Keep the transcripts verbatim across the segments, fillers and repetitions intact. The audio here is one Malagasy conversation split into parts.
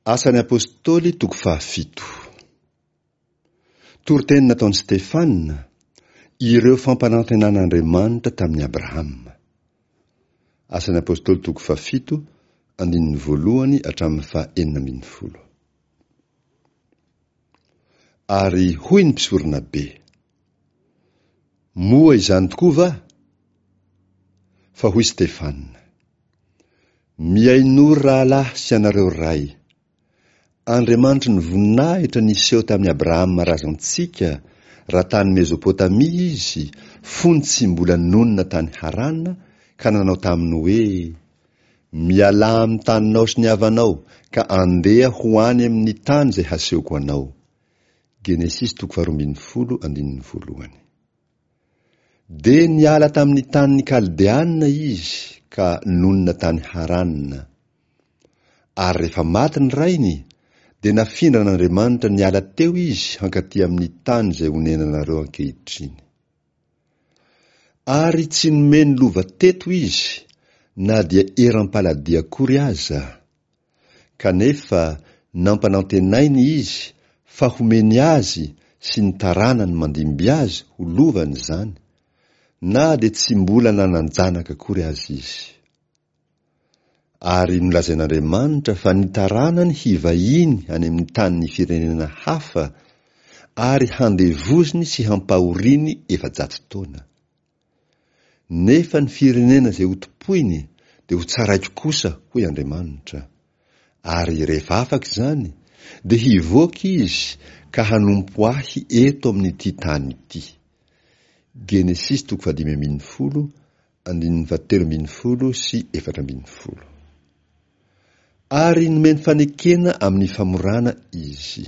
Asan'ny Apostoly toko fahafito. Toriteny nataon'i Stefana, ireo fampanantenan'Andriamanitra tamin'i Abrahama. Asan'ny Apostoly toko fahafito, andininy voalohany hatramin'ny faha enina ambin'ny folo. Ary hoy ny mpisoronabe, Moa izany tokoa va? Fa hoy Stefana, Mihainoa ry rahalahy sy ianareo ray, Andriamanitry ny voninahitra niseho tamin'i Abrahama razantsika raha tany Mezopotamia izy fony tsy mbola nonina tany Harana ka nanao taminy hoe, Mialà amin'ny taninao sy ny havanao ka andeha ho any amin'ny tany izay hasehoko anao. Genesisy toko faharoa ambin'ny folo andininy voalohany. Dia niala tamin'ny tanin'ny Kaldeana izy ka nonina tany Harana. Ary rehefa maty ny rainy, dia nafindran'Andriamanitra niala teo izy hankaty amin'ny tany izay onenanareo ankehitriny. Ary tsy nomeny lova teto izy, na dia eram-paladia akory aza. Kanefa nampanantenainy izy fa homeny azy sy ny taranany mandimby azy ho lovany izany, na dia tsy mbola nanan-janaka akory aza izy. Ary nolazain'Andriamanitra fa ny taranany hivahiny any amin'ny tanin'ny firenena hafa ary handevoziny sy hampahoriny efajato taona. Nefa ny firenena izay hotompoiny dia hotsaraiko kosa, hoy Andriamanitra. Ary rehefa afaka izany, dia hivoaka izy ka hanompo ahy eto amin'ity tany ity. Genesisy toko fahadimy ambin'ny folo, andininy fahatelo ambin'ny folo sy efatra ambin'ny folo. Ary nomeny fanekena amin'ny famorana izy.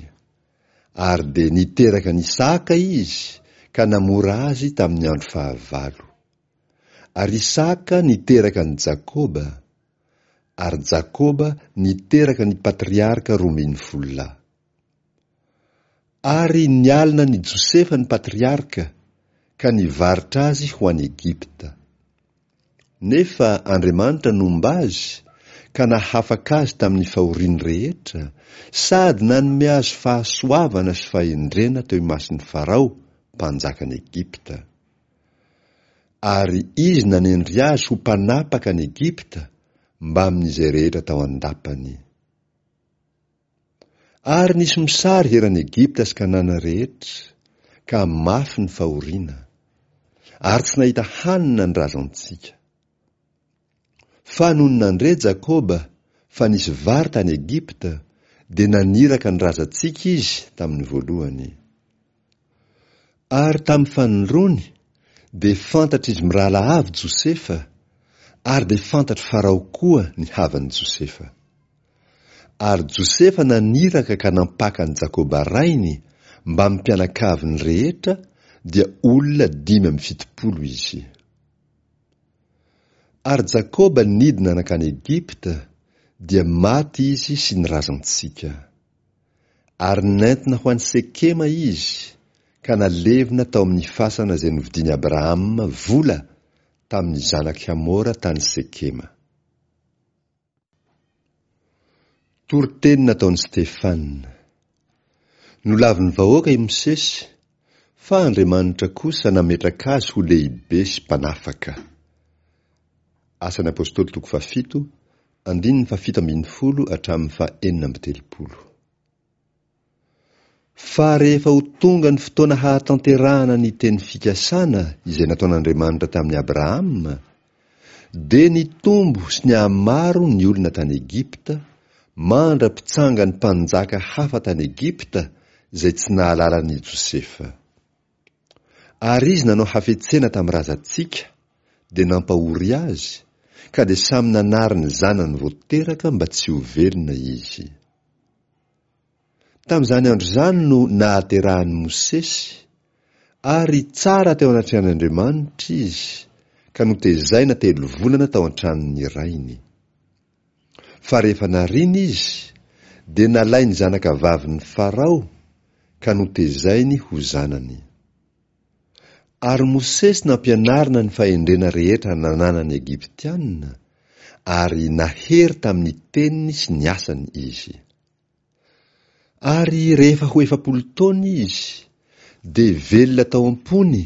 Ary dia niteraka an'i Isaka izy ka namora azy tamin'ny andro fahavalo. Ary Isaka niteraka an'i Jakoba, ary Jakoba niteraka ny patriarka roa ambin'ny folo lahy. Ary nialona an'i Josefa ny patriarka ka nivarotra azy ho any Egypta. Nefa Andriamanitra nomba azy ka nahafaka azy tamin'ny fahoriany rehetra, sady nanome azy fahasoavana sy fahendrena teo imason'i Farao, mpanjakan'i Egypta. Ary izy nanendry azy ho mpanapaka an'i Egypta mbamin'izay rehetra tao an-dapany. Ary nisy mosary eran'i Egypta sy Kanana rehetra, ka mafy ny fahoriana. Ary tsy nahita hanina ny razantsika. Fa nony nandre Jakoba fa nisy vary tany Egypta, dia naniraka ny razantsika izy tamin'ny voalohany. Ary tamin'ny fanindroany dia fantatr'izy mirahalahy avy Josefa, ary dia fantatr'i Farao koa ny havan'i Josefa. Ary Josefa naniraka ka nampaka an'i Jakoba rainy mbamin'ny mpianakaviny rehetra, dia olona dimy amby fitopolo izy. Ary Jakoba nidina nankany Egypta, dia maty izy sy ny razantsika. Ary nentina ho any Sekema izy, ka nalevina tao amin'ny fasana izay novidian'i Abrahama vola tamin'ny zanak'i Hamora tany Sekema. Toriteny nataon'i Stefana. Nolavin'ny vahoaka i Mosesy, fa Andriamanitra kosa nametraka azy ho lehibe sy mpanafaka. Asan'ny Apostoly toko fahafito, andininy fahafito ambin'ny folo hatramin'ny fahenina amby telopolo. Fa rehefa ho tonga ny fotoana hahatanterahana ny teny fikasana izay nataon'Andriamanitra tamin'i Abrahama, dia nitombo sy nihamaro ny olona tany Egypta, mandra-pitsangan'ny mpanjaka hafa tany Egypta izay tsy nahalala an'i Josefa. Ary izy nanao hafetsena tamin'ny razantsika, dia nampahory azy, ka dia samy nanary ny zanany vao teraka mba tsy ho velona izy. Tamin'izany andro izany no nahaterahan'i Mosesy, ary tsara teo anatrehan'Andriamanitra izy, ka notezaina telo volana tao an-tranon'ny rainy. Fa rehefa narina izy, dia nalain'ny zanakavavin'i Farao, ka notezainy ho zanany. Ary Mosesy nampianarina ny fahendrena rehetra nananan'ny Egyptiana, ary nahery tamin'ny teniny sy ny asany izy. Ary rehefa ho efapolo taona izy, dia velona tao am-pony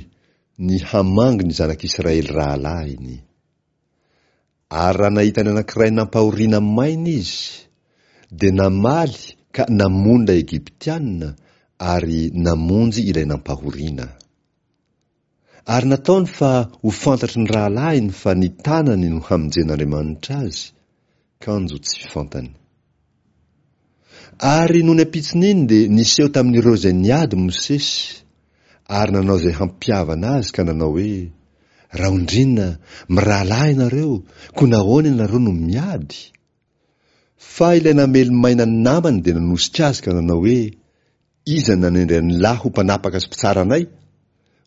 ny hamangy ny zanak'Israely rahalahiny. Ary raha nahita ny anankiray nampahoriana maina izy, dia namaly ka namono ilay Egyptiana ary namonjy ilay nampahoriana. Ary nataony fa ho fantatry ny rahalahiny fa ny tanany no hamonjen'Andriamanitra azy, kanjo tsy fantany. Ary nony ampitson'iny dia niseho tamin'ireo izay niady Mosesy, ary nanao izay hampihavana azy ka nanao hoe, Raondriana, mirahalahy ianareo, koa nahoana ianareo no miady? Fa ilay namely maina ny namany dia nanosika azy ka nanao hoe, Iza no nanendry an'ilahy ho mpanapaka sy mpitsara anay?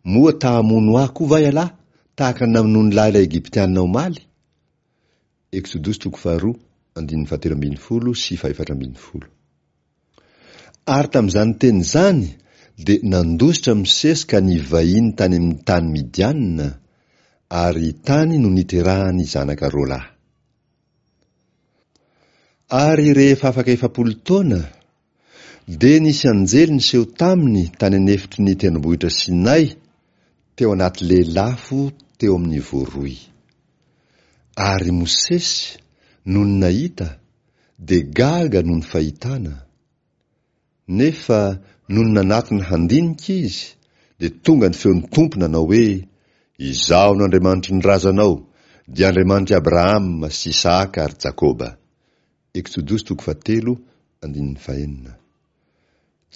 Moa ta hamono ahy koa va ialahy, tahaka ny namonoan'ilahy ilay Egyptiana omaly? Eksodosy toko faharoa, andininy fahatelo ambin'ny folo sy fahefatra ambin'ny folo. Ary tamin'izany teny izany dia nandositra Mosesy ka nivahiny tany amin'ny tany Midiana, ary tany no niterahany zanaka roa lahy. Ary rehefa afaka efapolo taona, dia nisy anjely niseho taminy tany an'efitry ny tendrombohitra Sinay, teo anaty lelafo teo amin'ny voaroy. Ary Mosesy, nony nahita, dia gaga noho ny fahitana. Nefa nony nanatona handinika izy, dia tonga ny feon'ny Tompo nanao hoe, Izaho no Andriamanitry ny razanao, dia Andriamanitr'i Abrahama sy Isahaka ary Jakoba. Eksodosy toko fahatelo, andininy fahenina.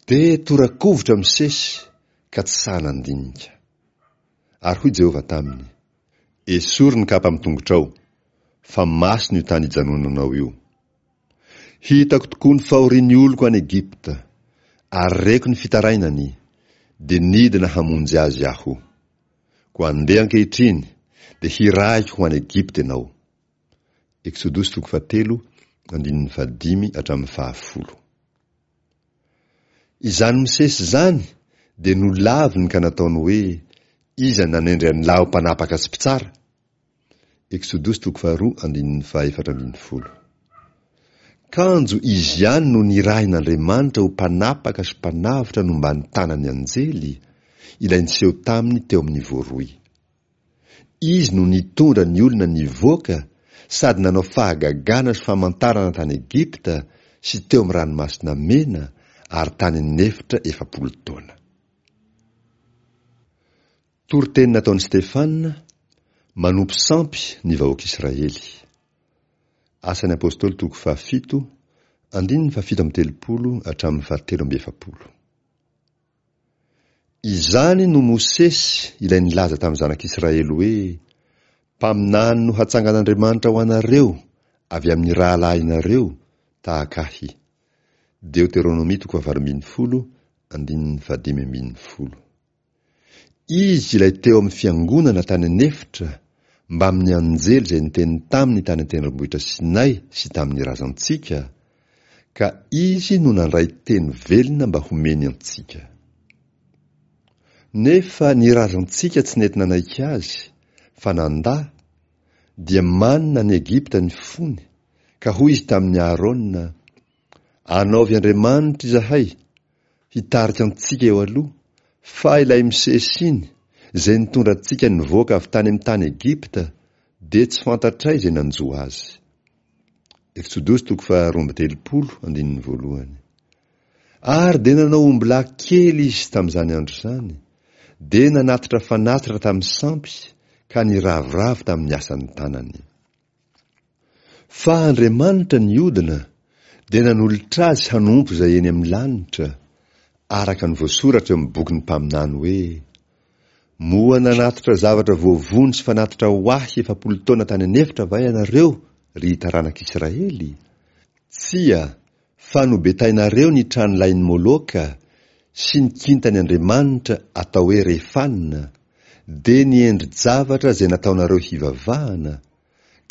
Dia tora-kovitra Mosesy ka tsy sahy nandinika. Ary hoy Jehovah taminy, Esory ny kapa amin'ny tongotrao, fa masina io tany ijanonanao io. Hitako tokoa ny fahorian'ny oloko any Egypta, ary reko ny fitarainany, dia nidina hamonjy azy aho. Koa andeha ankehitriny, dia hirahiko ho any Egypta ianao. Eksodosy toko fahatelo, andininy fahadimy hatramin'ny fahafolo. Izany Mosesy izany dia nolaviny ka nataony hoe, Iza nanendry an'ilahy ho mpanapaka sy mpitsara? Eksodosy toko faharoa, andininy fahefatra ambin'ny folo. Kanjo izy ihany no nirahin'Andriamanitra ho mpanapaka sy mpanavotra nomban'ny tanan'ny anjely, ilay niseho taminy teo amin'ny voaroy. Izy no nitondra ny olona nivoaka sady nanao fahagagana sy famantarana tany Egypta sy teo amin'ny ranomasina Mena ary tany an'efitra efapolo taona. Toriteny nataon'i Stefana, manompo sampy ny vahoaka Israely. Asan'ny Apostoly toko fahafito, andininy fahafito amby telopolo hatramin'ny fahatelo amby efapolo. Izany no Mosesy ilay nilaza tamin'ny zanak'Israely hoe, Mpaminany no hatsangan'Andriamanitra ho anareo avy amin'ny rahalahinareo tahaka ahy. Deoteronomia toko fahavalo ambin'ny folo, andininy fahadimy ambin'ny folo. Izy ilay teo amin'ny fiangonana tany an'efitra mbamin'ny anjely izay niteny taminy tany an-tendrombohitra Sinay sy tamin'ny razantsika, ka izy no nandray teny velona mba homeny antsika. Nefa ny razantsika tsy nety nanaiky azy, fa nandà, dia manina any Egypta ny fony, ka hoy izy tamin'i Aharôna, Anaovy andriamanitra izahay, hitarika antsika eo aloha, fa ilay Mosesy iny, izay nitondra antsika nivoaka avy tany amin'ny tany Egypta, dia tsy fantatray izay nanjo azy. Eksodosy toko faharoa amby telopolo, andininy voalohany. Ary dia nanao ombilahy kely izy tamin'izany andro izany, dia nanatitra fanatitra tamin'ny sampy ka niravoravo tamin'ny asan'ny tanany. Fa Andriamanitra niodina dia nanolotra azy hanompo izay eny amin'ny lanitra, araka ny voasoratra eo amin'ny bokin'ny mpaminany hoe, Moa nanatitra zavatra voavono sy fanatitra ho ahy efapolo taona tany an'efitra va ianareo, ry taranak'Israely? Tsia, fa nobetainareo ny tranolahin'i Moloka sy ny kintany andriamanitra atao hoe Refana, dia ny endri-javatra izay nataonareo hivavahana,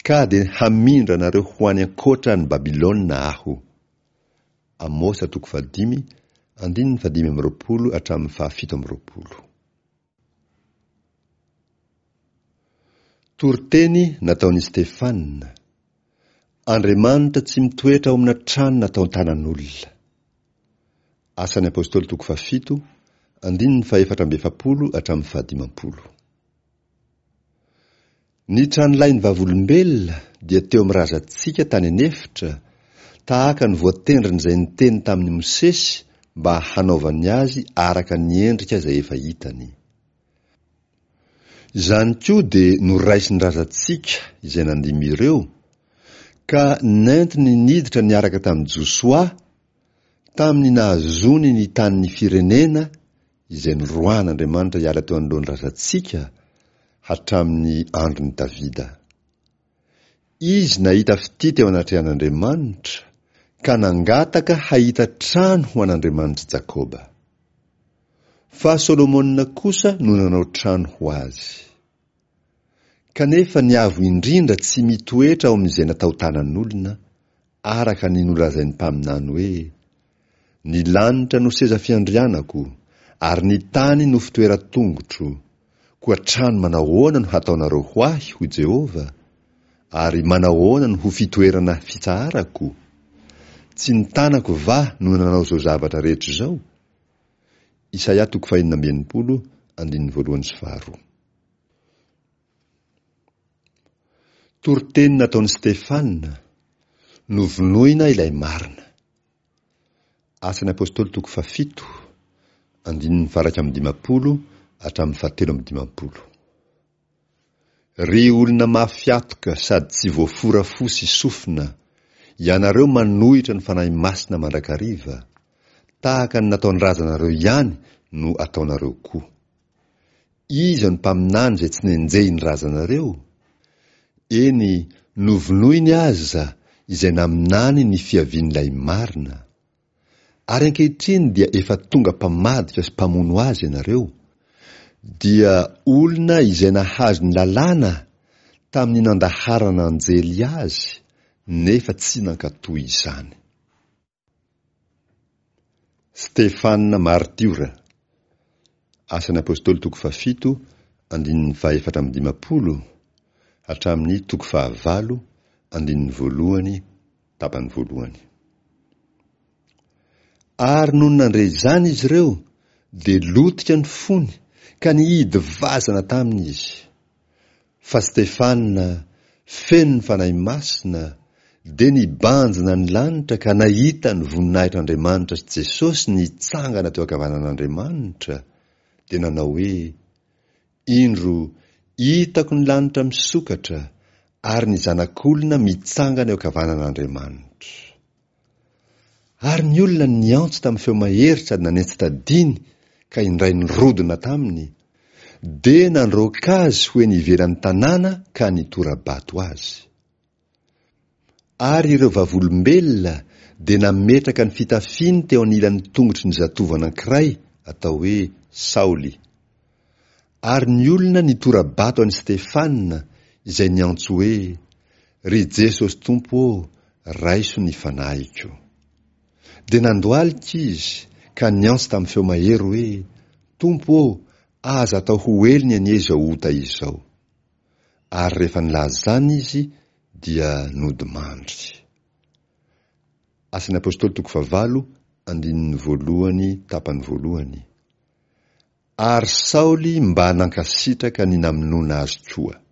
ka dia hamindra anareo ho any ankoatra an'i Babylona aho. Amosa toko fahadimy, andininy fahadimy amby roapolo hatramin'ny fahafito amby roapolo. Toriteny nataon'i Stefana. Andriamanitra tsy mitoetra ao amina trano nataon-tanan'olona. Asan'ny Apostoly toko fahafito, andininy fahefatra amby efapolo hatramin'ny fahadimampolo. Ny tranolain'ny Vavolombelona dia teo amin'ny razantsika tany an'efitra, tahaka ny voatendrin'izay niteny tamin'i Mosesy mba hanaovany azy araka ny endrika izay efa hitany. Izany koa dia noraisin'ny razantsika izay nandimby ireo, ka nentiny niditra niaraka tamin'i Josoa, tamin'ny nahazoany ny tanin'ny firenena izay noroahan'Andriamanitra hiala teo anoloan'ny razantsika hatramin'ny andron'i Davida. Izy nahita fitia teo anatrehan'Andriamanitra, ka nangataka hahita trano ho an'Andriamanitr'i Jakoba. Fa Solomona kosa no nanao trano ho azy. Kanefa ny Avo Indrindra tsy mitoetra ao amin'izay natao tanan'olona, araka ny nolazain'ny mpaminany hoe, Ny lanitra no seza fiandrianako, ary ny tany no fitoeran-tongotro, koa trano manahoana no hataonareo ho ahy, hoy Jehovah? Ary manahoana no ho fitoerana fitsaharako? Tsy ny tanako va no nanao izao zavatra rehetra izao? Isaia toko fahenina amby enimpolo, andininy voalohany sy faharoa. Toriteny nataon'i Stefana, Novonoina ilay marina. Asan'ny Apostoly toko fahafito, andininy faha-iraika amby dimampolo hatramin'ny fahatelo amby dimampolo. Ry olona mafy hatoka sady tsy voafora fo sy sofina, ianareo manohitra ny Fanahy Masina mandrakariva, tahaka ny nataon-drazanareo ihany no ataonareo koa. Iza no mpaminany izay tsy nenjehin'ny razanareo? Eny, novonoiny aza izay naminany ny fiavian'ilay marina. Ary ankehitriny dia efa tonga mpamadika sy mpamono azy ianareo, dia olona izay nahazo ny lalàna tamin'ny nandaharana anjely azy, nefa tsy nankatò izany. Stefana maritiora, Asan'ny Apostoly toko fahafito, andininy fahefatra amby dimampolo, hatramin'ny toko fahavalo, andininy voalohany, tapany voalohany. Ary nony nandre izany izy ireo, dia lotika ny fony, ka nihidy vazana taminy izy. Fa Stefana, feno ny Fanahy Masina, dia nibanjina ny lanitra ka nahita ny voninahitr'Andriamanitra sy Jesosy nitsangana teo ankavanan'Andriamanitra, dia nanao hoe, Indro, hitako ny lanitra misokatra, ary ny Zanak'olona mitsangana eo ankavanan'Andriamanitra. Ary ny olona niantso tamin'ny feo mahery sady nanentsi-tadiny ka indray nirodona taminy, dia nandroaka azy ho eny ivelan'ny tanàna ka nitora-bato azy. Ary ireo vavolombelona dia nametraka ny fitafiany teo anilan'ny tongotry ny zatovo anankiray atao hoe Saoly. Ary ny olona nitora-bato an'i Stefana izay niantso hoe, Ry Jesosy Tompo ô, raiso ny fanahiko. Dia nandohalika izy ka niantso tamin'ny feo mahery hoe, Tompo ô, aza atao ho helony anie izao ota izao. Ary rehefa nilaza izany izy dia nodimandry. Asan'ny Apostoly toko fahavalo, andininy voalohany tapany voalohany. Ary Saoly mba nankasitraka ny namonoana azy koa.